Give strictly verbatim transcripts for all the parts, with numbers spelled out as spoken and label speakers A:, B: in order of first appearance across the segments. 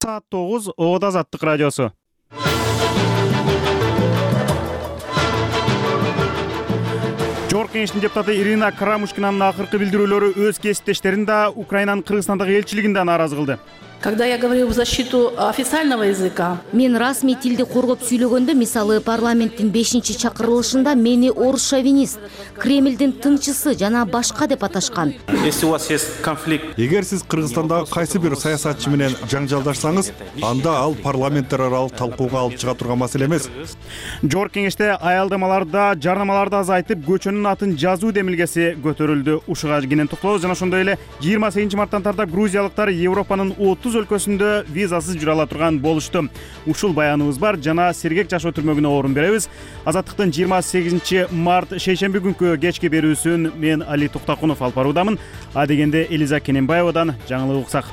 A: Саат тогуз Ода Азаттык радиосу. Жогорку Кеңештин депутаты Ирина Карамушкинанын акыркы билдирүүлөрү өз кесиптештерин да Украинанын Кыргызстандагы элчилигин да нааразы кылды.
B: Когда я говорю в защиту официального языка,
C: мен расмий тилди коргоп сүйлөгөндө, мисалы парламенттин бешинчи чакырылышында мени орус шовинист, Кремлдин тынчысы жана башка деп аташкан.
D: Если у вас есть конфликт,
E: эгер сиз Кыргызстандагы кайсы бир саясатчы менен жаңжалдашсаңыз, анда ал парламенттер аралык талкууга алып чыга турган маселе эмес.
A: Жогорку Кеңеште аялдамаларда, жарнамаларда азайтып, көчөнүн атын жазуу демилгеси көтөрүлдү. Ушуга кенен токтолобуз. Жана ошондой эле жыйырма сегизинчи марттан тартап грузиялыктар Европанын отуз өлкөсүндө визасыз жүрө ала турган болушту. Ушул баяныбыз бар, жана сергек жашоо түрмөгүнө орун беребиз. Азаттыктын жыйырма сегизинчи март шейшемби күнкү кечки берүүсүн мен Али Токтакунов алып баруудамын. А дегенде Элиза Кененбаевадан жаңылык уксак.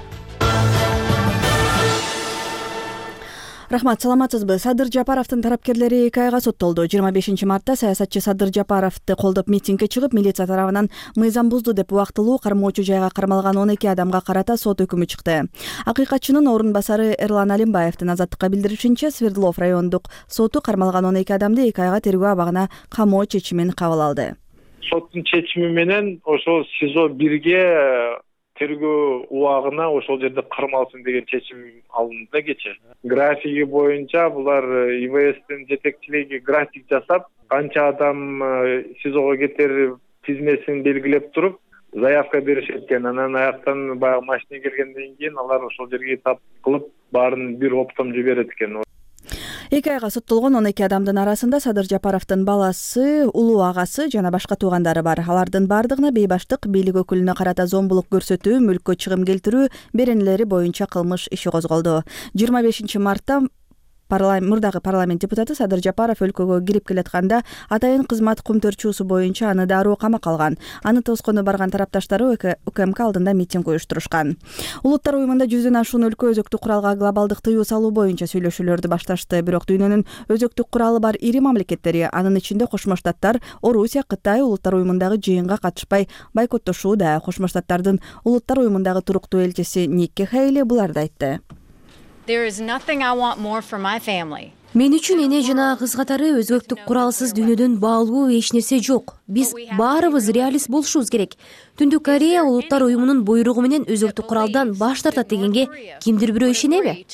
F: Рахмат, саламатсызбы? Садыр Жапаровдун тарапкерлери эки айга соттолду. жыйырма бешинчи мартта саясатчы Садыр Жапаровду колдоп митингге чыгып, милиция тарабынан мыйзам бузду деп убактылуу кармоочу жайга кармалган он эки адамга карата сот өкүмү чыкты. Акыйкатчынын орун басары Эрлан Алимбаевдин Азаттыкка билдиришинче, Свердлов райондук соту кармалган он эки адамды эки айга тергөө абагына камоо чечимин кабыл алды.
G: Соттун чечими менен ошол СИЗО бирге тергөө убагына ошол жерде кармалсын деген чечим алынды да кече. Графиги боюнча булар ИВСтин жетекчилиги график жасап, канча адам СИЗОго кетер тизмесин белгилеп туруп, заявка беришет экен. Анан аяктан баягы машина келгенден кийин алар ошол жерге тап кылып, баарын бир оптом жиберет экен.
F: эки айга соттолгон он эки адамдын арасында Садыр Жапаровдун баласы, улуу агасы жана башка туугандары бар. Алардын бардыгына бейбаштык, бийлик өкүлүнө карата зомбулук көрсөтүү, мүлккө чыгым келтирүү беренелери боюнча кылмыш иши козголду. жыйырма бешинчи мартта мурдагы парламент депутаты Садыр Жапаров өлкөгө кирип келатканда атайын кызмат кумтөрчүүсү боюнча аны дароо камакка алган. Аны тоскону барган тарапташтары УКМК алдында митинг уюштурушкан. Улуттар уюмунда жүздөн ашуун өлкө өзөктүк куралга глобалдык тыюу салуу боюнча сүйлөшүүлөрдү башташты. Бирок дүйнөнүн өзөктүк куралы бар ири мамлекеттери, анын ичинде Кошмо Штаттар, Орусия, Кытай улуттар уюмундагы жыйынга катышпай бойкоттошууда. Кошмо Штаттардын улуттар уюмундагы туруктуу элчиси Никки Хейли буларды айтты.
H: There is nothing I want more for my family.
C: Мен үчүн эне жана кыз катары өзөктүк куралсыз дүйнөдөн баалуу эч нерсе жок. Биз баарыбыз реалист болушубуз керек. Түндүк Корея улуттар уюмунун буйругу менен өзөктүк куралдан баш тартат дегенге кимдир бирөө ишенеби?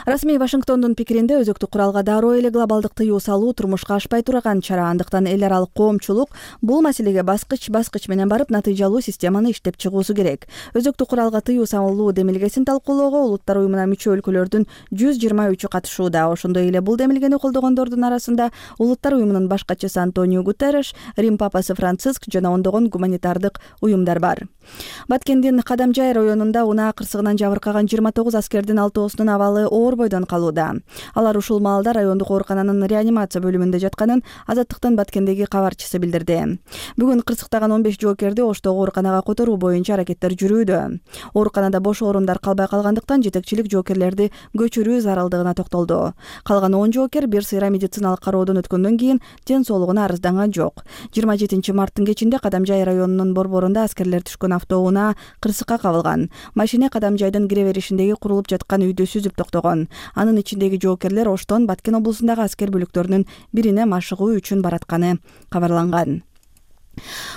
F: Расмий Вашингтондун пикиринде өзөктүк куралга дароо эле глобалдык тыюу салуу турмушка ашпай турган чара. Андыктан эл аралык коомчулук бул маселеге баскыч-баскыч менен барып натыйжалуу системаны иштеп чыгуусу керек. Өзөктүк куралга тыюу салуу демилгесин талкуулоого улуттар уюмуна мүчө өлкөлөрдүн жүз жыйырма үчү катышууда. Ошондой эле бул демилгени колдогондордун арасында улуттар уюмунун баш катчысы Антонио Гутерреш, Рим папасы Франциск жана ондогон гуманитардык уюмдар бар. Баткендин Кадамжай районунда унаа кырсыгынан жабыркаган жыйырма тогуз аскердин алтоосунун абалы оор бойдон калууда. Алар ушул маалда райондук оорукананын реанимация бөлүмүндө жатканын Азаттыктын Баткендеги кабарчысы билдирди. Бүгүн кырсыктаган он беш жоокерди Оштогу ооруканага которуу боюнча аракеттер жүрүүдө. Ооруканада бош орундар калбай калгандыктан жетекчилик жоокерлерди көчүрүү зарылдыгына токтолду. Калган он жоокер бир сыйра медициналык кароодон өткөндөн кийин ден соолугуна арызданган жок. жыйырма жетинчи марттын кечинде Кадамжай районунун борборунда аскерлер түшкөн автоунаа кырсыкка кабылган. Машина Кадамжайдын кире беришиндеги курулуп жаткан үйдү сүзүп токтогон. Анын ичиндеги жоокерлер Оштон Баткен облусундагы аскер бөлүктөрүнүн бирине машыгуу үчүн баратканы кабарланган.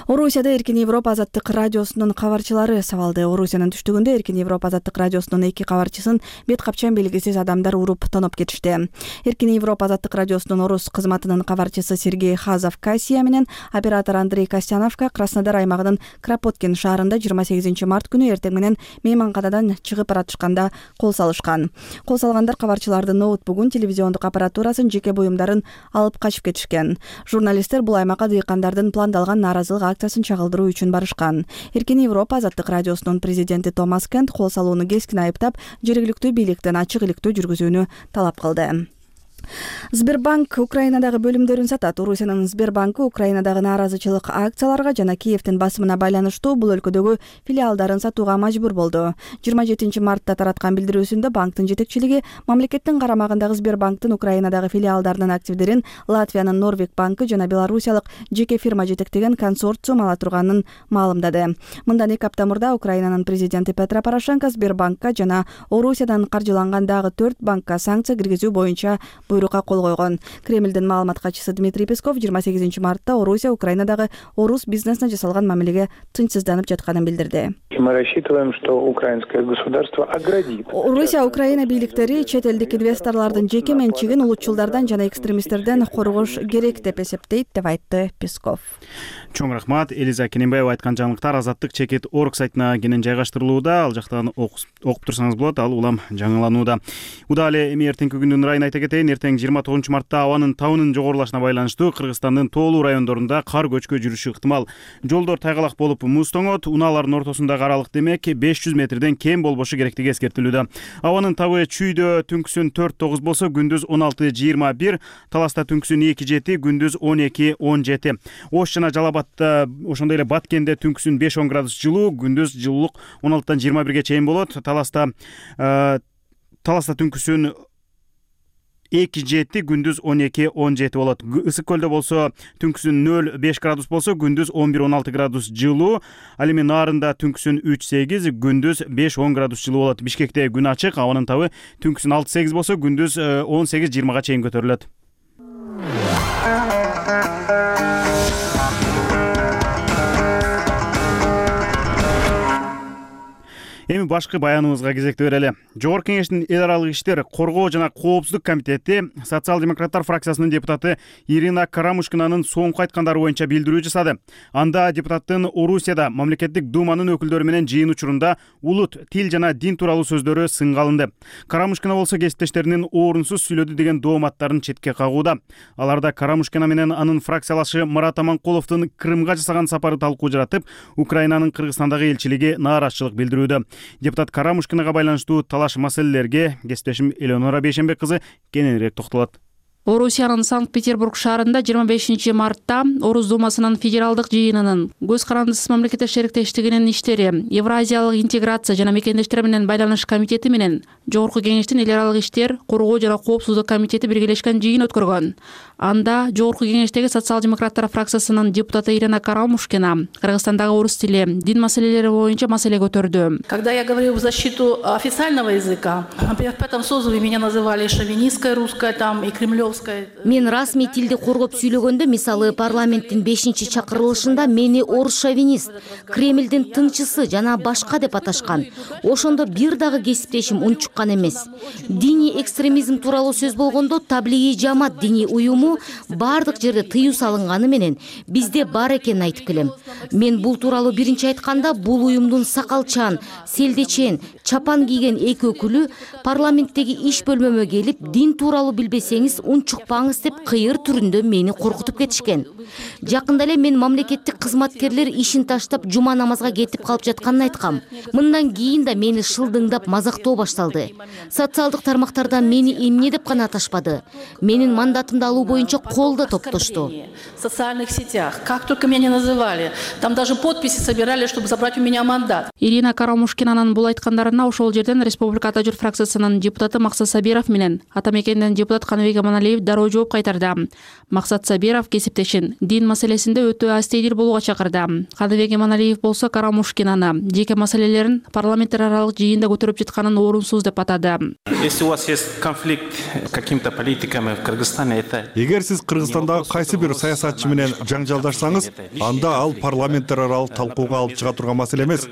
F: Орусияда Эркин Европа Азаттык радиосунун кабарчылары сабалды. Орусиянын түштүгүндө Эркин Европа Азаттык радиосунун эки кабарчысын бет капчан белгисиз адамдар уруп тоноп кетишти. Эркин Европа Азаттык радиосунун орус кызматынын кабарчысы Сергей Хазов Кассия менен оператор Андрей Костяновка Краснодар аймагынын Кропоткин шаарында жыйырма сегизинчи март күнү эртең менен мейманканадан чыгып баратышканда кол салышкан. Кол салгандар кабарчылардын ноутбугун, телевизиондук аппаратурасын, жеке буюмдарын алып качып кетишкен. Журналисттер бул аймакка дыйкандардын пландалган нааразылык акциясын чагылдыруу үчүн барышкан. Эркин Европа Азаттык радиосунун президенти Томас Кент кол салууну кескин айыптап, жергиликтүү бийликтен ачык иликтөө жүргүзүүнү талап кылды. Сбербанк Украинадагы бөлүмдөрүн сатат. Орусиянын Сбербанкы Украинадагы нааразычылык акцияларга жана Киевдин басымына байланыштуу бул өлкөдөгү филиалдарын сатууга мажбур болду. жыйырма жетинчи мартта тараткан билдирүүсүндө банктын жетекчилиги мамлекеттин карамагындагы Сбербанктын Украинадагы филиалдарынын активдерин Латвиянын Норвег банкы жана белорусиялык жеке фирма жетектеген консорциум ала турганын маалымдады. Мындан эки апта мурда Украинанын президенти Петро Порошенко Сбербанкка жана Орусиядан каржыланган дагы төрт банкка санкция киргизүү боюнча буйрукка кол койгон. Кремлдин маалымат катчысы Дмитрий Песков жыйырма сегизинчи мартта Орусия Украинадагы орус бизнесине жасалган мамилеге тынчсызданып жатканын билдирди.
I: Мы рассчитываем, что украинское государство оградит.
F: Орусия Украина бийликтери чет элдик инвесторлордун жеке менчигин улутчулдардан жана экстремисттерден коргош керек деп эсептейт, деп айтты Песков.
A: Чоң рахмат. Элиза Кененбаева айткан жаңылыктар Азаттык чекит орг сайтына кенен жайгаштырылууда. Ал жактан окуп турсаңыз болот. Ал улам жаңыланууда. Удале эми эртеңки күндүн райын айта кетейин. Эртең жыйырма тогузунчу мартта абанын табынын жогорулашына байланыштуу Кыргызстандын тоолуу райондорунда кар көчкө жүрүшү ыктымал. Жолдор тайгалак болуп муз тоңот, унаалардын ортосундагы аралык демек беш жүз метрден кем болбошу керектиги эскертилүүдө. Абанын табы чүйдө түнкүсүн төрт тогуз болсо, күндүз он алты жыйырма бир, Таласта түнкүсүн эки жети, күндүз он эки он жети. Ош жана Жалалабадта, ошондой эле Баткенде түнкүсүн беш он градус жылуу, күндүз жылуулук он алтыдан жыйырма бирге чейин болот. Таласта Таласта түнкүсүн эки жети, күндүз он эки он жети болот. Ысык көлдө болсо түнкүсүн нөл беш градус болсо, күндүз он бир он алты градус жылуу. Ал эми Нарында түнкүсүн үч сегиз, күндүз беш он градус жылуу болот. Бишкекте күн ачык, абанын табы түнкүсүн алты сегиз болсо, күндүз он сегиз жыйырмага чейин көтөрүлөт. Эми башкы баяныбызга кезекти берели. Жогорку кеңештин эл аралык иштер, коргоо жана коопсуздук комитети социал-демократтар фракциясынын депутаты Ирина Карамушкинанын соңку айткандары боюнча билдирүү жасады. Анда депутаттын Орусияда мамлекеттик думанын өкүлдөрү менен жыйын учурунда улут, тил жана дин тууралуу сөздөрү сынга алынды. Карамушкина болсо кесиптештеринин орунсуз сүйлөдү деген дооматтарын четке кагууда. Аларда Карамушкина менен анын фракциялашы Марат Аманкуловдун Крымга жасаган сапары талкуу жаратып, Украинанын Кыргызстандагы элчилиги нааразычылык билдирүүдө. Депутат Карамушкинага байланыштуу талаш маселелерге кесиптешим Элеонора Бейшенбек кызы кененирээк токтолот.
J: Орусиянын Санкт-Петербург шаарында жыйырма бешинчи мартта Орус Думасынын федералдык жыйынынын көз карандысыз мамлекеттер шериктештигинин иштери, Евразиялык интеграция жана мекендештер менен байланыш комитети менен Жогорку кеңештин эл аралык иштер, коргоо жана коопсуздук комитети биргелешкен жыйын өткөргөн. Анда Жогорку кеңештеги социал-демократтар фракциясынын депутаты Ирина Карамушкина Кыргызстандагы орус тили, дин маселелери боюнча маселе көтөрдү.
B: Когда я говорю в защиту официального языка, например, в пятом созыве меня называли шовинистская русская там и кремлевская.
C: Мен расмий тилди коргоп сүйлөгөндө, мисалы парламенттин бешинчи чакырылышында мени орус шовинист, Кремлдин тыңчысы жана башка деп аташкан. Ошондо бир дагы кесиптешим унчуккан эмес. Диний экстремизм тууралуу сөз болгондо Таблиги жамаат диний уюму бардык жерде тыюу салынганы менен бизде бар экенин айтып келем. Мен бул тууралуу биринчи айтканда бул уюмдун сакалчан, селдечен, чапан кийген эки өкүлү парламенттеги иш бөлмөмө келип, дин тууралуу билбесеңиз унчукпаңыз деп кыйыр түрүндө мени коркутуп кетишкен. Жакында эле мен мамлекеттик кызматкерлер ишин таштап жума намазга кетип калып жатканын айткам. Мындан кийин да мени шылдыңдап мазактоо башталды. Социалдык тармактарда мени эмне деп гана аташпады. Менин мандатымды алуу боюнча кол да топтошту.
B: В социальных сетях, как только меня не называли, там даже подписи собирали, чтобы забрать у меня мандат.
J: Ирина Карамушкинанын бул айткандарына ошол жерден Республика Ата журт фракциясынын депутаты Максат Сабиров менен Ата мекенден депутат Каныбек Аманалиев дароо жооп кайтарды. Максат Сабиров кесиптешин дин маселесинде өтө астейдил болууга чакырды. Каныбек Аманалиев болсо Карамушкинаны жеке маселелерин парламенттер аралык жыйында көтөрүп жатканын орунсуз деп атады.
D: Если у вас есть конфликт с какими-то политиками в Кыргызстане, это...
E: Эгер сиз Кыргызстандагы кайсы бир саясатчы менен жаңжалдашсаңыз, анда ал парламенттер аралык талкууга алып чыга турган маселе эмес.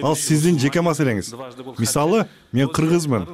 E: Ал сиздин жеке маселеңиз. Мисалы, мен кыргызмын,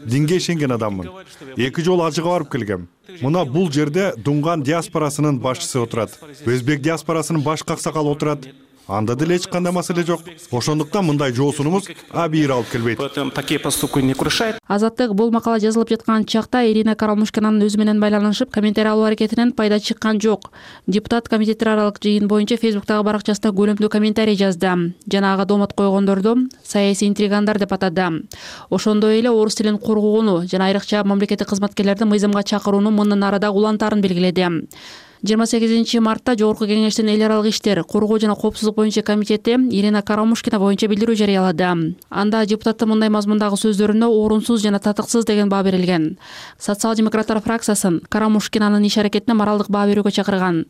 E: динге ишенген адаммын. Эки жолу ажыга барып келгем. Мына бул жерде Дунган диаспорасынын башчысы отурат. Өзбек диаспорасынын баш каксакалы отурат. анда деле эч кандай маселе жок. Ошондуктан мындай жоосунумуз абийир алып келбейт.
D: Такие поступки не крушают.
J: Азаттык бул макала жазылып жаткан чакта Ирина Карамушкинанын өзү менен байланышып комментарий алуу аракетинен пайда чыккан жок. Депутат комитеттер аралык жыйын боюнча Фейсбуктагы баракчасында көлөмдүү комментарий жазды жана ага доомат койгондорду саясий интригандар деп атады. Ошондой эле орус тилин коргоону жана айрыкча мамлекеттик кызматкерлерди мыйзамга чакырууну мындан арада улантаарын белгиледи. жыйырма сегизинчи мартта Жогорку кеңештин эл аралык иштер, коргоо жана коопсуздук боюнча комитети Ирина Карамушкина боюнча билдирүү жарыялады. Анда депутаттын мындай мазмундагы сөздөрүнө орунсуз жана татыксыз деген баа берилген. Социал-демократтар фракциясын Карамушкинанын иш аракетине моралдык баа берүүгө чакырган.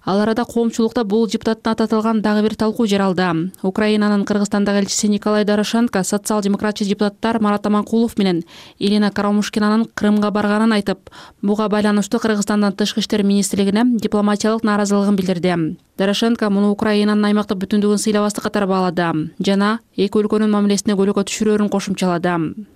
J: Ал арада коомчулукта бул депутаттын аты аталган дагы бир талкуу жаралды. Украинанын Кыргызстандагы элчиси Николай Дорошенко социал-демократчы депутаттар Марат Аманкулов менен Ирина Карамушкинанын Крымга барганын айтып, буга байланыштуу Кыргызстандын тышкы иштер министрлигине дипломатиялык нааразылыгын билдирди. Дорошенко муну Украинанын аймактык бүтүндүгүн сыйлабастык катары баалады жана эки өлкөнүн мамилесине көлөкө түшүрөөрүн кошумчалады.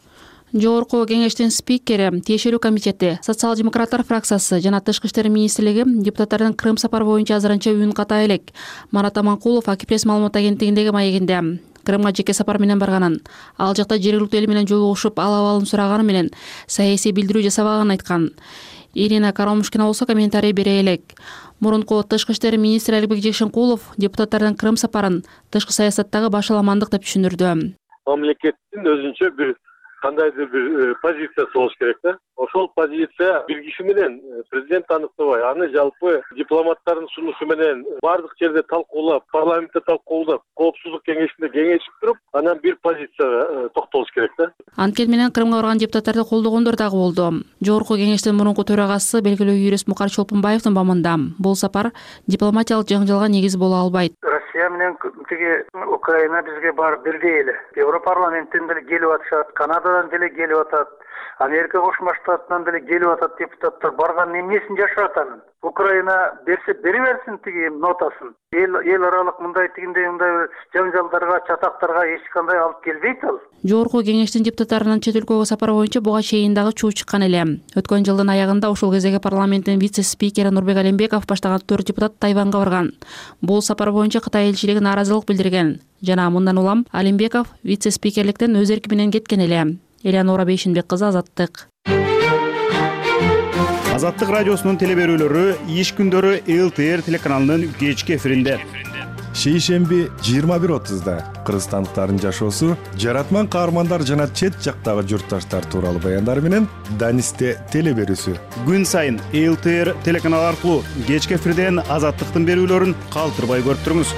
J: Жогорку кеңештин спикери, тиешелүү комитети, социал-демократтар фракциясы жана тышкы иштер министрлиги депутаттардын Крым сапары боюнча азырынча үнүн ката элек. Марат Аманкулов Акипресс маалымат агенттигиндеги маегинде Крымга жеке сапар менен барганын, ал жакта жергиликтүү эл менен жолугушуп ал абалын сураганы менен саясий билдирүү жасабаганын айткан. Ирина Карамушкина болсо комментарий бере элек. Мурунку тышкы иштер министри Аликбек Жекшенкулов депутаттардын Крым сапарын тышкы саясаттагы башаламандык деп түшүндүрдү.
K: Мамлекеттин өзүнчө бир кандайдыр бир позициясы болуш керек да. Ошол позиция бир киши менен президент аныктабай, аны жалпы дипломаттардын сунушу менен бардык жерде талкуулап, парламентте талкуулап, коопсуздук кеңешинде кеңешип туруп, анан бир позицияга токтолуш керек да.
J: Анткени менен Крымга барган депутаттарды колдогондор дагы болду. Жогорку кеңештин мурунку төрагасы белгилүү юрист Мукар Чолпунбаевдин бамында бул сапар дипломатиялык жаңжалга негиз боло албайт.
L: Россия менен тиги Украина бизге барып бирдей эле. Европарламенттен деле келип атышат, Канададан деле келип атат, Америка Кошмо Штатынан деле келип атат депутаттар. Барган эмнесин жашырат анын? Украина берсе бери берсин тиги нотасын. Эл эл аралык мындай тигиндей мындай жаңжалдарга, чатактарга эч кандай алып келбейт ал.
J: Жогорку кеңештин депутаттарынын чет өлкөгө сапары боюнча буга чейин дагы чуу чыккан эле. Өткөн жылдын аягында ошол кездеги парламенттин вице-спикери Нурбек Алимбеков баштаган төрт депутат Тайванга барган. Бул сапар боюнча Кытай элчилиги нааразылык билдирген. Жана мындан улам Алимбеков вице-спикерликтен өз эрки менен кеткен эле. Элеонора Бейшинбек кызы, Азаттык.
A: Азаттык радиосунун телеберүүлөрү иш күндөрү эл ти эр телеканалынын кечки эфиринде.
E: Шейшемби жыйырма бир отузда кыргызстандыктардын жашоосу, жаратман каармандар жана чет жактагы журтташтар тууралуу баяндар менен Данисте телеберүүсү.
A: Күн сайын эл ти эр телеканалы аркылуу кечки эфирден Азаттыктын берүүлөрүн калтырбай көрүп туруңуз.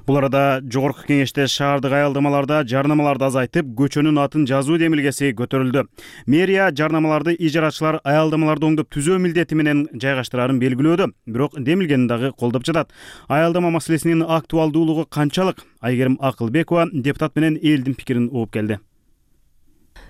A: Бул арада Жогорку кеңеште шаардык аялдамаларда жарнамаларды азайтып, көчөнүн атын жазуу демилгеси көтөрүлдү. Мэрия жарнамаларды ижарачылар аялдамаларды оңдоп түзөө милдети менен жайгаштырарын белгилөөдө, бирок демилгени дагы колдоп жатат. Аялдама маселесинин актуалдуулугу канчалык? Айгерим Акылбекова депутат менен элдин пикирин угуп келди.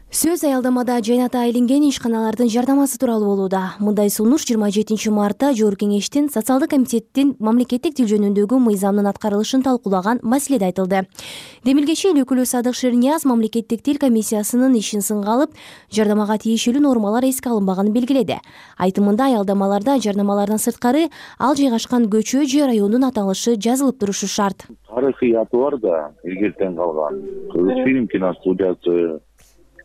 C: Сөз аялдамада жайната айланген ишканалардын жардамасы тууралуу болууда. Мындай сунуш жыйырма жетинчи мартта Жогорку кеңештин социалдык комитеттин мамлекеттик тил жөнүндөгү мыйзамдын аткарылышын талкуулаган маселеде айтылды. Демилгечи эл өкүлү Садык Шернияз мамлекеттик тил комиссиясынын ишин сынга алып, жардамага тиешелүү нормалар эске алынбаганын белгиледи. Айтымында аялдамаларда жарнамалардан сырткары ал жайгашкан көчө же райондун аталышы жазылып турушу шарт.
M: Тарыхый аты бар да, илгертен калган. Кыргыз фильм киностудиясы,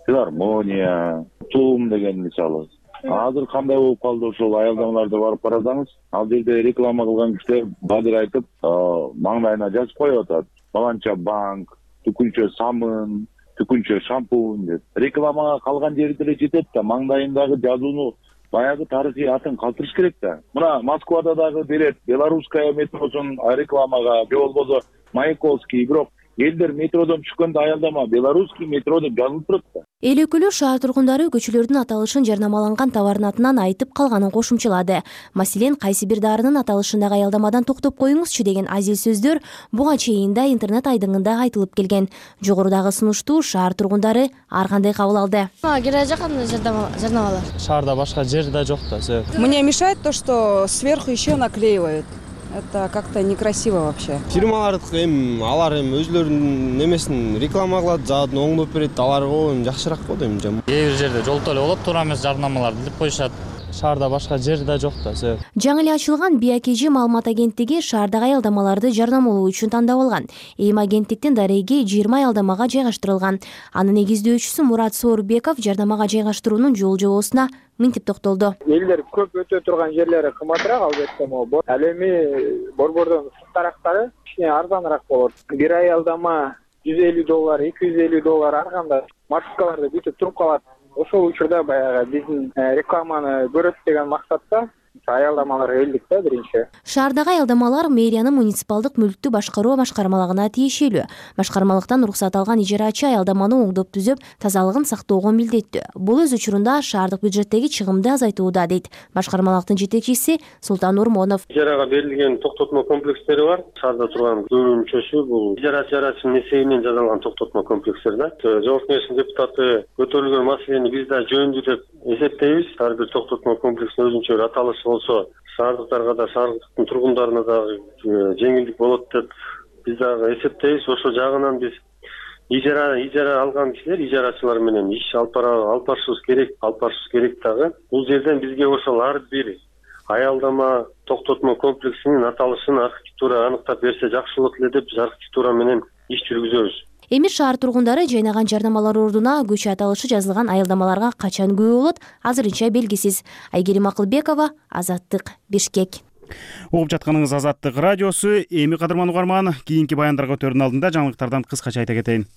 M: филармония, тум деген мисалы. Азыр кандай болуп калды ошол аялдамаларда барып карасаңыз, ал жерде реклама кылган кишилер бадыр айтып, маңдайына жазып коюп атат. Баланча банк, түкүнчө самын, түкүнчө шампунь деп. Рекламага калган жери деле жетет да, маңдайындагы жазууну баягы тарыхый атын калтырыш керек да. Мына Москвада дагы берет, Белорусская метросун рекламага, же болбосо Маяковский, бирок элдер метродон түшкөндө аялдама Белорусский метро деп жазылып турат да.
C: Эл өкүлү шаар тургундары көчөлөрдүн аталышын жарнамаланган товардын атынан айтып калганын кошумчалады. Маселен, кайсы бир дарынын аталышындагы аялдамадан токтоп коюңузчу деген азил сөздөр буга чейин да интернет айдыңында айтылып келген. Жогорудагы сунушту шаар тургундары ар кандай кабыл алды.
N: Кереги жок кандай жарнамалар.
O: Шаарда башка жер да жок да.
P: Мне мешает то, что сверху еще наклеивают. Это как-то некрасиво вообще.
O: Фирмалардыкы эми алар эми өзлөрүнүн немесин реклама кылат, заодно оңдоп берет, аларга эми жакшыраак го дейм.
Q: Кээ бир жерде жолто эле болот, туура эмес жарнамаларды илип коюшат. шаарда башка жер да жок да себеп.
C: Жаңы эле ачылган би а ка жи маалымат агенттиги шаардагы аялдамаларды жарнамалоо үчүн тандап алган. Эми агенттиктин дареги жыйырма аялдамага жайгаштырылган. Анын негиздөөчүсү Мурат Соорбеков жарнамага жайгаштыруунун жол жобосуна мынтип токтолду.
R: Элдер көп өтө турган жерлери кымбатыраак албетте могу. Ал эми борбордон сырттарактары кичине арзаныраак болот. Бир аялдама жүз элүү доллар, эки жүз элүү доллар ар кандай маршруткаларда бүтүп туруп калат. Ошол учурда баягы биздин рекламаны көрөт деген максатта аялдамалар элдик да биринчи.
C: Шаардагы аялдамалар мэриянын муниципалдык мүлктү башкаруу башкармалыгына тиешелүү. Башкармалыктан уруксат алган ижарачы аялдаманы оңдоп түзүп, тазалыгын сактоого милдеттүү. Бул өз учурунда шаардык бюджеттеги чыгымды азайтууда, дейт башкармалыктын жетекчиси Султан Урмонов.
K: Ижарага берилген токтотмо комплекстери бар. Шаарда турган көбүнчөсү бул ижарачынын эсебинен жасалган токтотмо комплекстер да. Жогорку Кеңештин депутаты көтөрүлгөн маселени биз да жөнүндүү деп эсептейбиз. Ар бир токтотмо комплексинин өзүнчө бир аталышы болсо, шаардыктарга да, шаардыктын тургундарына да жеңилдик болот деп биз дагы эсептейбиз. Ошол жагынан биз ижара ижара алган кишилер, ижарачылар менен иш алып алып барышыбыз керек, алып барышыбыз керек дагы. Бул жерден бизге ошол ар бир аялдама токтотмо комплексинин аталышын архитектура аныктап берсе жакшы болот эле деп биз архитектура менен иш жүргүзөбүз.
C: Эми шаар тургундары жайнаган жарнамалар ордуна көчө аталышы жазылган аялдамаларга качан күбө болот, азырынча белгисиз. Айгерим Акылбекова, Азаттык, Бишкек.
A: Угуп жатканыңыз Азаттык радиосу. Эми кадырман угарман, кийинки баяндарга өтөрдүн алдында жаңылыктардан кыскача айта кетейин.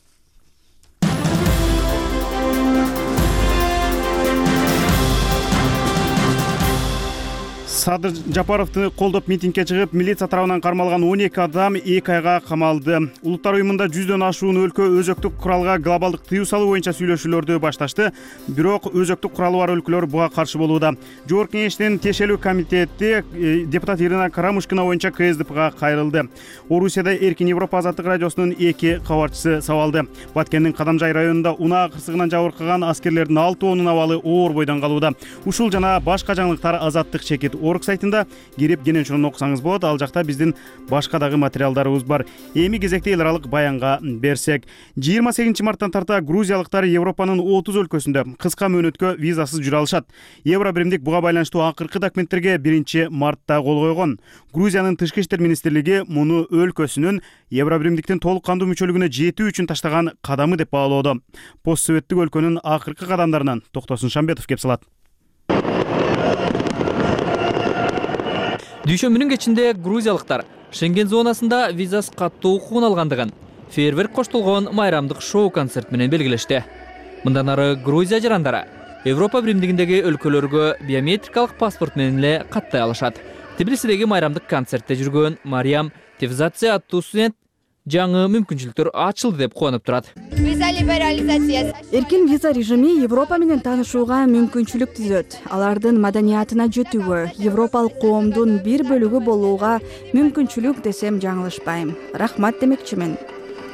A: Садыр Жапаровду колдоп митингге чыгып, милиция тарабынан кармалган он эки адам эки айга камалды. Улуттар уюмунда жүздөн ашуун өлкө өзөктүк куралга глобалдык тыюу салуу боюнча сүйлөшүүлөрдү башташты. Бирок өзөктүк куралы бар өлкөлөр буга каршы болууда. Жогорку Кеңештин тиешелүү комитети депутат Ирина Карамушкина боюнча ка эс дэ пэга кайрылды. Орусияда Эркин Европа азаттык радиосунун эки кабарчысы сабалды. Баткендин Кадамжай районунда унаа кырсыгынан жабыркаган аскерлердин алты онунун абалы оор бойдон калууда. Ушул жана башка жаңылыктар азаттык чекит орг сайтында кирип кенен чоң окусаңыз болот. Ал жакта биздин башка дагы материалдарыбыз бар. Эми кезекте эл аралык баянга берсек, жыйырма сегизинчи марттан тарта грузиялыктар Европанын отуз өлкөсүндө кыска мөөнөткө визасыз жүрө алышат. Евро биримдик буга байланыштуу акыркы документтерге биринчи мартта кол койгон. Грузиянын тышкы иштер министрлиги муну өлкөсүнүн Евро биримдиктин толук кандуу мүчөлүгүнө жетүү үчүн таштаган кадамы деп баалоодо. Пост советтик өлкөнүн акыркы кадамдарынан Токтосун Шамбетов кеп салат.
S: Дүйшөмбүнүн кечинде грузиялыктар Шенген зонасында визасыз каттоо укугун алгандыгын фейерверк коштолгон майрамдык шоу концерт менен белгилешти. Мындан ары Грузия жарандары Европа биримдигиндеги өлкөлөргө биометрикалык паспорт менен эле каттай алышат. Тбилисидеги майрамдык концертте жүргөн Мариям Тевзадзе аттуу студент жаңы мүмкүнчүлүктөр ачылды деп кубанып турат.
F: Эркин виза режими Европа менен таанышууга мүмкүнчүлүк түзөт. Алардын маданиятына жетүүгө, европалык коомдун бир бөлүгү болууга мүмкүнчүлүк десем жаңылышпайм. Рахмат демекчимин.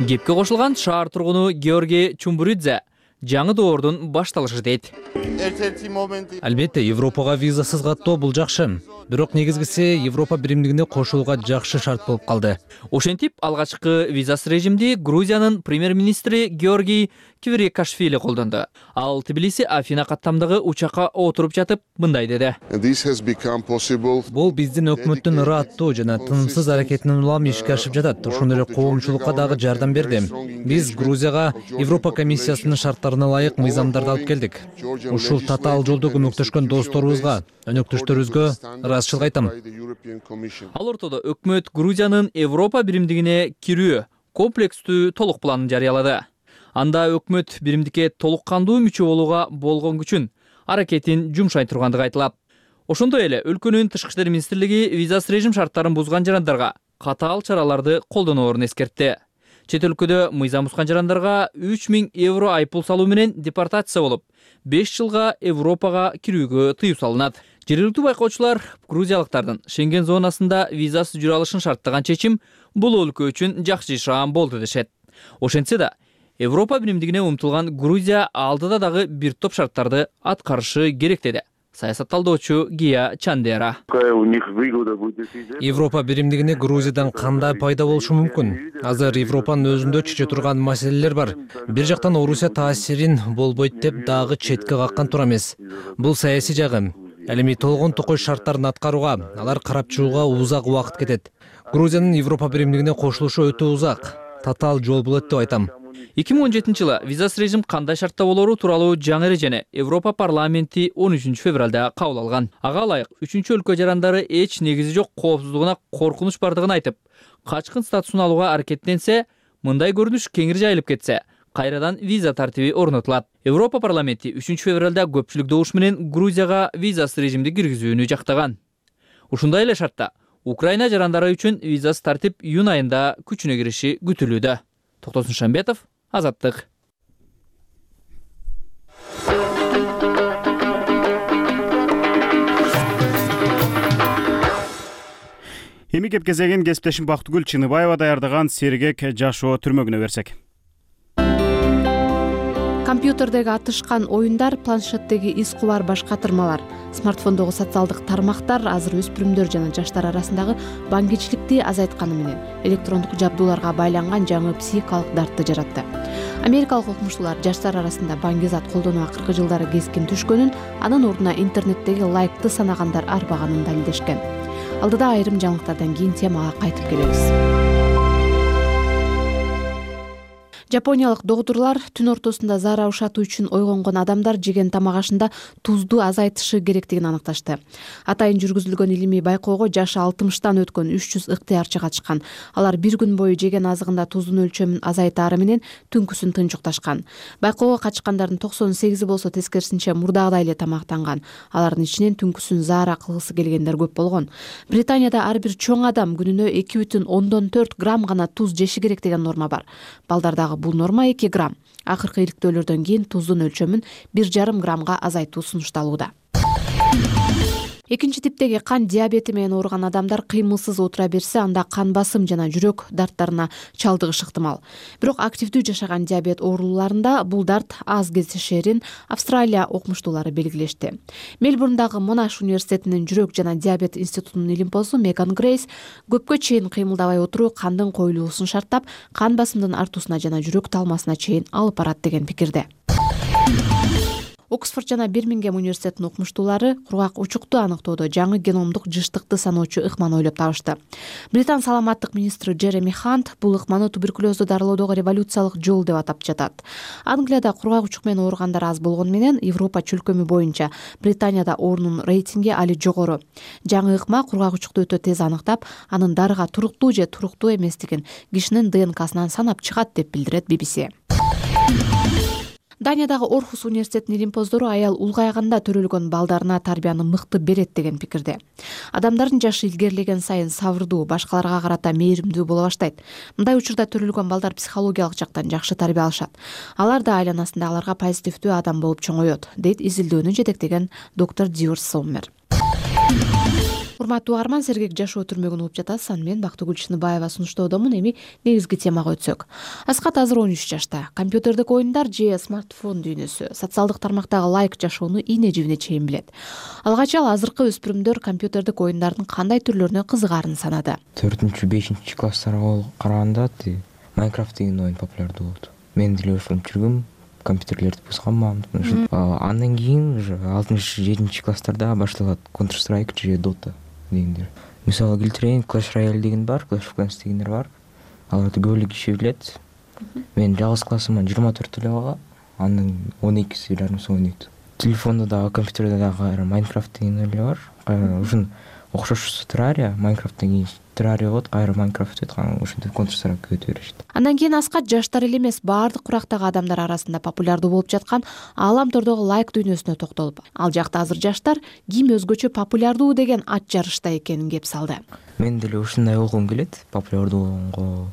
S: Кепке кошулган шаар тургуну Георгий Чумбуридзе жаңы доордун башталышы дейт.
T: Албетте, Европага визасыз каттоо бул жакшы. Бирок негизгиси Европа биримдигине кошулууга жакшы шарт болуп калды.
S: Ошентип, алгачкы визасыз режимди Грузиянын премьер-министри Георгий Квирикашвили колдонду. Ал Тбилиси Афина каттамдагы учакка отуруп жатып мындай деди.
T: Бул биздин өкмөттүн ырааттуу жана тынымсыз аракетинин улам ишке ашып жатат. Ошондой эле коомчулукка дагы жардам берди. Биз Грузияга Европа комиссиясынын шарттарына ылайык мыйзамдарды алып келдик. Ушул татаал жолдо көмөктөшкөн досторубузга, өнөктөштөрүбүзгө ыраазычылык айтам.
S: Ал ортодо өкмөт Грузиянын Европа биримдигине кирүү комплекстүү толук планын жарыялады. Анда өкмөт биримдикке толук кандуу мүчө болууга болгон күчүн, аракетин жумшай тургандыгы айтылат. Ошондой эле өлкөнүн тышкы иштер министрлиги визасыз режим шарттарын бузган жарандарга катаал чараларды колдоноорун эскертти. Чет өлкөдө мыйзам бузган жарандарга үч миң евро айыппул салуу менен депортация болуп, беш жылга Европага кирүүгө тыюу салынат. Жергиликтүү байкоочулар грузиялыктардын Шенген зонасында визасыз жүрө алышын шарттаган чечим бул өлкө үчүн жакшы шаам болду дешет. Ошентсе да, Европа биримдигине умтулган Грузия алдыда дагы бир топ шарттарды аткарышы керек деди саясат талдоочу Гия Чандера.
T: Европа биримдигине Грузиядан кандай пайда болушу мүмкүн? Азыр Европанын өзүндө чече турган маселелер бар. Бир жактан Орусия таасирин болбойт деп дагы четке каккан тура эмес. Бул саясий жагы. Ал эми толгон токой шарттарын аткарууга, алар карап чыгууга узак убакыт кетет. Грузиянын Европа биримдигине кошулушу өтө узак, татаал жол болот деп айтам.
S: эки миң он жетинчи жылы визасыз режим кандай шартта болору тууралуу жаңы эрежени Европа парламенти он үчүнчү февралда кабыл алган. Ага ылайык үчүнчү өлкө жарандары эч негизи жок коопсуздугуна коркунуч бардыгын айтып, качкын статусун алууга аракеттенсе, мындай көрүнүш кеңири жайылып кетсе, кайрадан виза тартиби орнотулат. Европа парламенти үчүнчү февралда көпчүлүк добуш менен Грузияга визасыз режимди киргизүүнү жактаган. Ушундай эле шартта Украина жарандары үчүн визасыз тартип июнь айында күчүнө кириши күтүлүүдө. Токтосун Шамбетов, Азаттык.
A: Эми кеп кезеген кесиптешим Бактыгүл Чыныбаева даярдаган сергек жашоо түрмөгүнө берсек.
U: Компьютердеги атышкан оюндар, планшеттеги из кубар башка тырмалар, смартфондогу социалдык тармактар азыр өспүрүмдөр жана жаштар арасындагы баңгичиликти азайтканы менен электрондук жабдууларга байланган жаңы психикалык дартты жаратты. Америкалык окумуштуулар жаштар арасында баңгизат колдонуу акыркы жылдары кескин түшкөнүн, анын ордуна интернеттеги лайкты санагандар арбаганын далилдешкен. Алдыда айрым жаңылыктардан кийин темага кайтып келебиз. Жапониялык доктурлар түн ортосунда заара ушатуу үчүн ойгонгон адамдар жеген тамак ашында тузду азайтышы керектигин аныкташты. Атайын жүргүзүлгөн илимий байкоого жашы алтымыштан өткөн үч жүз ыктыярчы катышкан. Алар бир күн бою жеген азыгында туздун өлчөмүн азайтаары менен түнкүсүн тынчукташкан. Байкоого катышкандардын токсон сегизи болсо тескерисинче мурдагыдай эле тамактанган. Алардын ичинен түнкүсүн заара кылгысы келгендер көп болгон. Британияда ар бир чоң адам күнүнө эки бүтүн ондон төрт грамм гана туз жеши керек деген норма бар. Балдардагы бул норма эки грамм. Акыркы иликтөөлөрдөн кийин туздун өлчөмүн бир жарым граммга азайтуу сунушталууда. Экинчи типтеги кан диабети менен ооруган адамдар кыймылсыз отура берсе, анда кан басым жана жүрөк дарттарына чалдыгыш ыктымал. Бирок активдүү жашаган диабет ооруларында бул дарт аз кездешерин Австралия окумуштуулары белгилешти. Мельбурндагы Монаш университетинин жүрөк жана диабет институтунун илимпозу Меган Грейс көпкө чейин кыймылдабай отуруу кандын коюлуусун шарттап, кан басымдын артуусуна жана жүрөк талмасына чейин алып барат деген пикирде. Оксфорд жана Бирмингем университетинин окумуштуулары кургак учукту аныктоодо жаңы геномдук жыштыкты саноочу ыкманы ойлоп табышты. Британ саламаттык министри Джереми Хант бул ыкманы туберкулезду дарылоодогу революциялык жол деп атап жатат. Англияда кургак учук менен ооругандар аз болгону менен Европа чөлкөмү боюнча Британияда оорунун рейтинги али жогору. Жаңы ыкма кургак учукту өтө тез аныктап, анын дарыга туруктуу же туруктуу эместигин кишинин ДНКсынан санап чыгат деп билдирет би би си. Даниядагы Орхус университетинин илимпоздору аял улгайганда төрөлгөн балдарына тарбияны мыкты берет деген пикирде. Адамдардын жашы илгерилеген сайын сабырдуу, башкаларга карата мээримдүү боло баштайт. Мындай учурда төрөлгөн балдар психологиялык жактан жакшы тарбия алышат. Алар да айланасындагыларга позитивдүү адам болуп чоңоет, дейт изилдөөнү жетектеген доктор Диор Соммер. Урматтуу угарман, сергек жашоо түрмөгүн угуп жатасыз. Аны мен Бактыгүл Чыныбаева сунуштоодомун. Эми негизги темага өтсөк. Аскат азыр он үч жашта. Компьютердик оюндар же смартфон дүйнөсү, социалдык тармактагы лайк жашоону ийне жибине чейин билет. Алгач ал азыркы өспүрүмдөр компьютердик оюндардын кандай түрлөрүнө кызыгаарын санады.
V: төртүнчү бешинчи класстарга караганда Майнкрафт деген оюн популярдуу болду. Мен деле ошону жүргөм, компьютерлерди бузганмын. Андан кийин уже алтынчы жетинчи класстарда башталат Counter Strike же Dota дегендер. Мисалы келтирейин, Clash Royale деген бар, Clash of Clans дегендер бар. Аларды көп эле киши билет. Мен жалгыз классыман жыйырма төрт эле бала, анын он экиси жарымсы ойнойт. Телефонда дагы, компьютерде дагы Майнкрафт деген эле бар. Ушун окшош Terraria, Майнкрафттан кийин Terraria болот, кайра Майнкрафт өтүп калган, ошентип Counter Strike өтө беришти.
U: Андан кийин Аскат жаштар эле эмес, баардык курактагы адамдар арасында популярдуу болуп жаткан ааламтордогу лайк дүйнөсүнө токтолуп, ал жакта азыр жаштар ким өзгөчө популярдуу деген ат жарышта экенин кеп салды.
V: Мен деле ушундай болгум келет, популярдуу болгонго.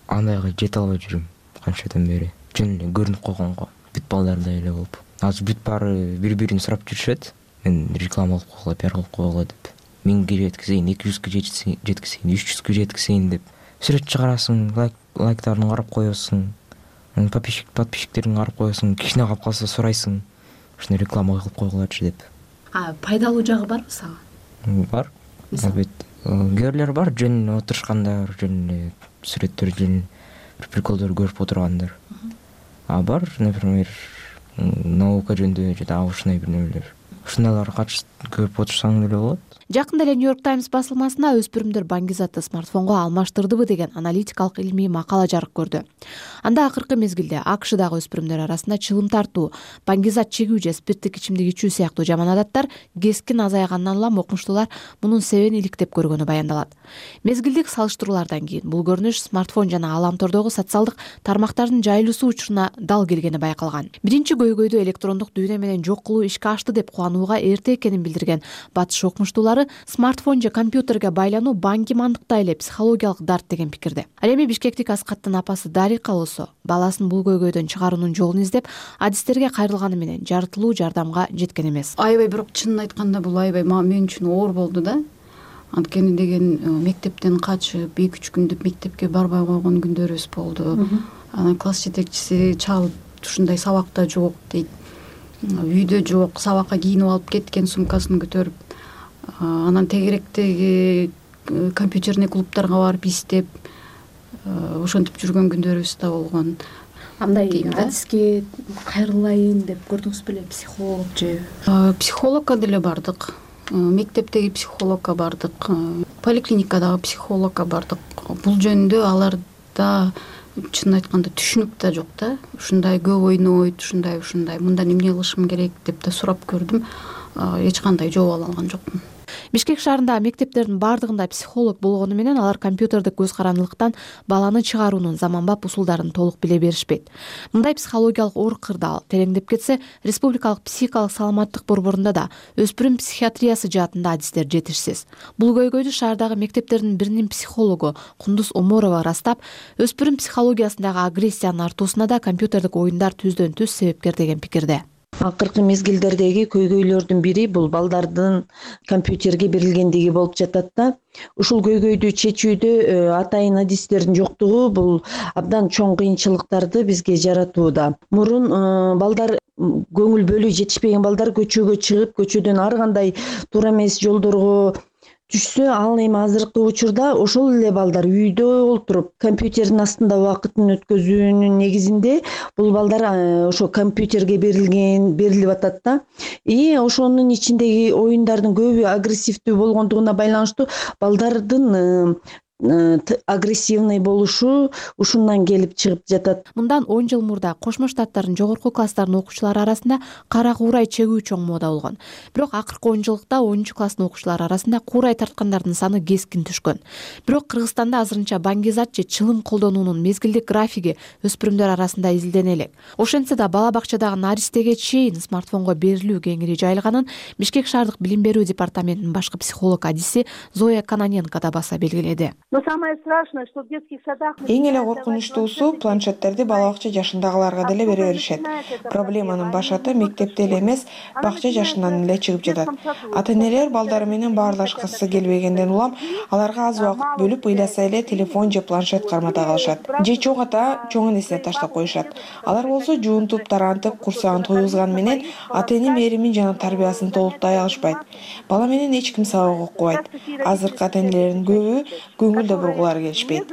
V: Андайга жете албай жүрүм канчадан бери. Жөн эле көрүнүп койгонго, бүт балдардай эле болуп. Азыр бүт баары бири-бирин сурап жүрүшөт. Мен реклама кылып койгула, пиар кылып койгула деп. миңге жеткизейин, эки жүзгө жеткизейин, үч жүзгө жеткизейин деп сүрөт чыгарасың, лайк лайктарын карап коесуң, подписчик подписчиктерин карап коесуң, кичине калып калса сурайсың, ушуну реклама кылып койгулачы деп.
U: А пайдалуу жагы барбы сага?
V: Бар. Албетте. Кээрлер бар, жөн отурушкандар, жөн сүрөттөр, жөн приколдор көрүп отургандар. А бар, например, наука жөнүндө же дагы ушундай бир нерселер. ушундайларга катышып көрүп отурсаң деле болот.
U: Жакында эле Нью-Йорк Таймс басылмасына өспүрүмдөр баңгизатты смартфонго алмаштырдыбы деген аналитикалык илмий макала жарык көрдү. Анда акыркы мезгилде АКШдагы өспүрүмдөр арасында чылым тартуу, баңгизат чегүү же спирттик ичимдик ичүү сыяктуу жаман адаттар кескин азайгандан улам окумуштуулар мунун себебин иликтеп көргөнү баяндалат. Мезгилдик салыштыруулардан кийин бул көрүнүш смартфон жана ааламтордогу социалдык тармактардын жайылуусу учуруна дал келгени байкалган. Биринчи көйгөйдү электрондук дүйнө менен жок кылуу ишке ашты деп кубанууга эрте экенин билдирген батыш окумуштуулары смартфон же компьютерге байлануу баңги-мандыктай эле психологиялык дарт деген пикирде. Ал эми бишкектик Аскаттын апасы Дарика болсо баласын бул көйгөйдөн чыгаруунун жолун издеп, адистерге кайрылганы менен жартылуу жардамга жеткен эмес.
G: Аябай бирок чынын айтканда бул аябай мен үчүн оор болду да. Анткени деген мектептен качып эки үч күндөп мектепке барбай койгон күндөрүбүз болду. Анан класс жетекчиси чалып ушундай сабакта жок дейт. Үйдө жок, сабакка кийинип алып кеткен сумкасын көтөрүп, анан тегеректеги компьютерный клубтарга барып издеп ошентип жүргөн күндөрүбүз да болгон. Андай адиске кайрылайын деп көрдүңүз беле, психолог же? Психологко деле бардык. Мектептеги психологко бардык, поликлиникадагы психологко бардык. Бул жөнүндө аларда чынын айтканда түшүнүк да жок да. Ушундай көп ойнойт, ушундай ушундай, мындан эмне кылышым керек деп да сурап көрдүм. Эч кандай жооп ала алган жокмун.
U: Бишкек шаарындагы мектептердин бардыгында психолог болгону менен алар компьютердик көз карандылыктан баланы чыгаруунун заманбап усулдарын толук биле беришпейт. Мындай психологиялык оор кырдаал тереңдеп кетсе, республикалык психикалык саламаттык борборунда да өспүрүм психиатриясы жаатында адистер жетишсиз. Бул көйгөйдү шаардагы мектептердин биринин психологу Кундуз Оморова ырастап, өспүрүм психологиясындагы агрессиянын артуусуна да компьютердик оюндар түздөн түз себепкер деген пикирде.
H: Акыркы мезгилдердеги көйгөйлөрдүн бири бул балдардын компьютерге берилгендиги болуп жатат да. Ушул көйгөйдү чечүүдө атайын адистердин жоктугу бул абдан чоң кыйынчылыктарды бизге жаратууда. Мурун балдар көңүл бөлүү жетишпеген балдар көчөгө чыгып, көчөдөн ар кандай туура эмес жолдорго түшсө, ал эми азыркы учурда ошол эле балдар үйдө олтуруп компьютердин астында убакытын өткөзүүнүн негизинде бул балдар ошо компьютерге берилген, берилип атат да. И ошонун ичиндеги оюндардын көбү агрессивдүү болгондугуна байланыштуу балдардын агрессивный болушу ушундан келип чыгып жатат.
U: Мындан он жыл мурда Кошмо Штаттардын жогорку класстарынын окуучулары арасында кара куурай чегүү чоң мода болгон. Бирок акыркы он жылдыкта онунчу класстын окуучулары арасында куурай тарткандардын саны кескин түшкөн. Бирок Кыргызстанда азырынча баңгизат же чылым колдонуунун мезгилдик графиги өспүрүмдөр арасында изилдене элек. Ошентсе да бала бакчадагы наристеге чейин смартфонго берилүү кеңири жайылганын Бишкек шаардык билим берүү департаментинин башкы психолог адиси Зоя Каноненко да баса белгиледи.
W: Эң эле коркунучтуусу планшеттерди бала бакча жашындагыларга деле бере беришет. Проблеманын башаты мектепте эле эмес, бакча жашынан эле чыгып жатат. Ата-энелер балдары менен баарлашкысы келбегенден улам аларга аз убакыт бөлүп ыйласа эле телефон же планшет кармата калышат. Же чоң ата чоңун эсине таштап коюшат. Алар болсо жуунтуп, тарантып, курсагын тойгузган менен ата-эне мээримин жана тарбиясын толуктай алышпайт. Бала менен эч ким сабак окубайт. Азыркы ата-энелердин көбү көңүл да бургулары келишпейт.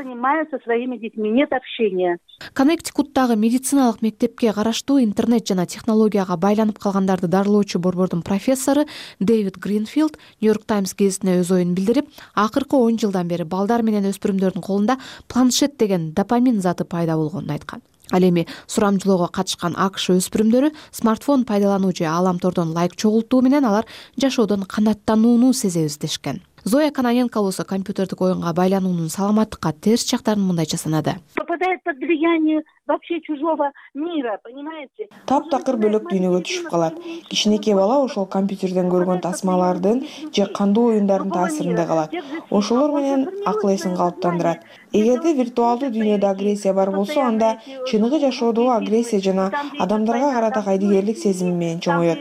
U: Коннектикуттагы медициналык мектепке караштуу интернет жана технологияга байланып калгандарды дарылоочу борбордун профессору Дэвид Гринфилд Нью-Йорк Таймс гезитине өз оюн билдирип, акыркы он жылдан бери балдар менен өспүрүмдөрдүн колунда планшет деген допамин заты пайда болгонун айткан. Ал эми сурамжылоого катышкан АКШ өспүрүмдөрү смартфон пайдалануу же ааламтордон лайк чогултуу менен алар жашоодон канааттанууну сезебиз дешкен. Зоя Каноненко болсо компьютердик оюнга байлануунун саламаттыкка терс жактарын мындайча санады.
W: Таптакыр бөлөк дүйнөгө түшүп калат. Кичинекей бала ошол компьютерден көргөн тасмалардын же кандуу оюндардын таасиринде калат. Ошолор менен акыл эсин калыптандырат. Эгерде виртуалдуу дүйнөдө агрессия бар болсо, анда чыныгы жашоодогу агрессия жана адамдарга карата кайдыгерлик сезими менен чоңоет.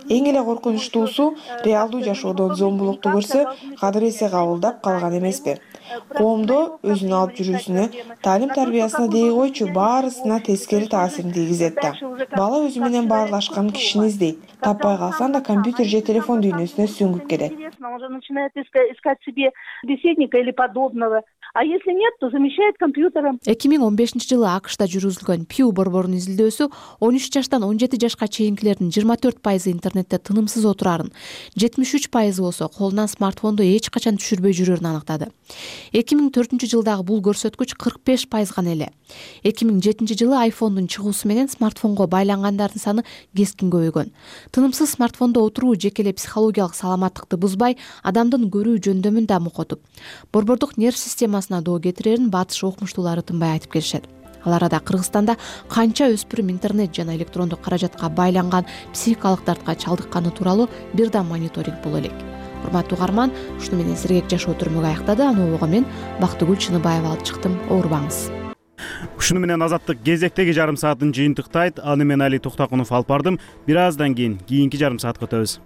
W: Эң эле коркунучтуусу, реалдуу жашоодон зомбулукту көрсө, кадыр эсе кабылдап калган эмеспи? Коомдо өзүн алып жүрүүсүнө, таалим тарбиясына дей койчу баарысына тескери таасирин тийгизет да. Бала өзү менен баарлашкан кишини издейт. Таппай калсаң да компьютер же телефон дүйнөсүнө сүңгүп кетет.
B: а если нет, то замещает компьютером.
U: эки миң он бешинчи жылы акшта жүргүзүлгөн Pew борборунун изилдөөсү он үч жаштан он жети жашка чейинкилердин жыйырма төрт пайызы интернетте тынымсыз отурарын, жетимиш үч пайызы болсо колунан смартфонду эч качан түшүрбөй жүрөрүн аныктады. эки миң төртүнчү жылдагы бул көрсөткүч кырк беш пайыз гана эле. эки миң жетинчи жылы айфондун чыгуусу менен смартфонго байлангандардын саны кескин көбөйгөн. Тынымсыз смартфондо отуруу жеке эле психологиялык саламаттыкты бузбай, адамдын көрүү жөндөмүн да мукотуп, борбордук нерв системасына доо кетирерин батыш окумуштуулары тынбай айтып келишет. Ал арада Кыргызстанда канча өспүрүм интернет жана электрондук каражатка байланган психикалык дартка чалдыкканы тууралуу бир да мониторинг боло элек. Урматтуу угарман, ушуну менен сергек жашоо түрмөгү аяктады. Аны обого мен Бактыгүл Чыныбаева алып чыктым. Оорубаңыз.
A: Ушуну менен Азаттык кезектеги жарым саатын жыйынтыктайт. Аны мен Али Токтокунов алып бардым. Бир аздан кийин кийинки жарым саатка өтөбүз.